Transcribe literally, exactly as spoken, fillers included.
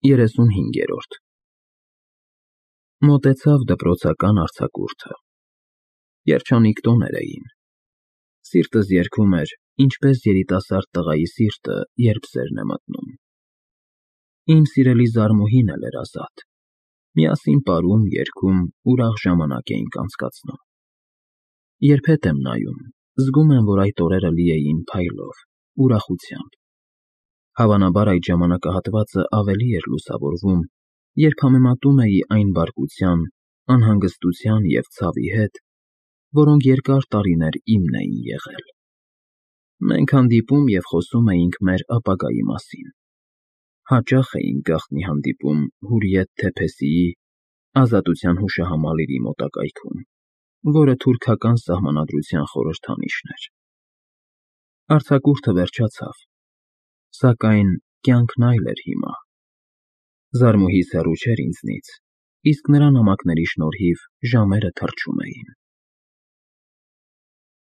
երեսունհինգերորդ Մոտեցավ դպրոցական արձակուրդը, երջանիկ տոներ էին, սիրտս երգում էր, ինչպես երիտասարդ տղայի սիրտը, երբ սերն է մտնում, իմ սիրելի Զարմուհին էլ էր ազատ, միասին պարում, երգում, ուրախ ժամանակ էինք անցկացնում, երբ հետ եմ նայում, զգում եմ, որ այդ օրերը լի էին փայլով, ուրախությամբ, հավանաբար այդ ժամանակահատվածը ավելի էր լուսավորվում, երբ համեմատում էի այն բարկության, անհանգստության և ցավի հետ, որոնք երկար տարիներ իմն էին եղել, մենք հանդիպում և խոսում էինք մեր ապագայի մասին, հաճախ էինք գաղտնի հանդիպում Հուրիեթ Թեփեսիի ազատության հուշահամալիրի մոտակայքում, որը թուրքական սահմանադրության խորհրդանիշն էր, արձակուրդը վերջացավ, սակայն կյանքն այլ էր հիմա, Զարմուհիս հեռու չէր ինձնից, իսկ նրա նամակների շնորհիվ ժամերը թռչում էին,